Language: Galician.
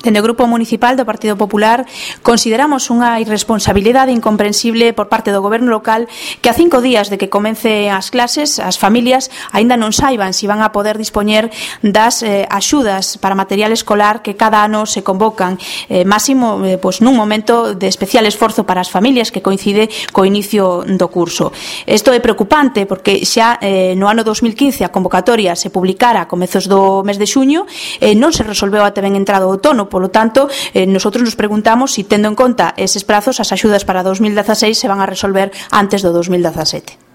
Dende o Grupo Municipal do Partido Popular consideramos unha irresponsabilidade incomprensible por parte do Goberno local que a 5 días de que comece as clases as familias aínda non saiban se van a poder dispoñer das axudas para material escolar que cada ano se convocan, máximo nun momento de especial esforzo para as familias que coincide co inicio do curso. Isto é preocupante porque xa no ano 2015 a convocatoria se publicara a comezos do mes de xuño e non se resolveu até ben entrado o outono. Polo tanto, nosotros nos preguntamos se, tendo en conta eses prazos, as axudas para 2016 se van a resolver antes do 2017.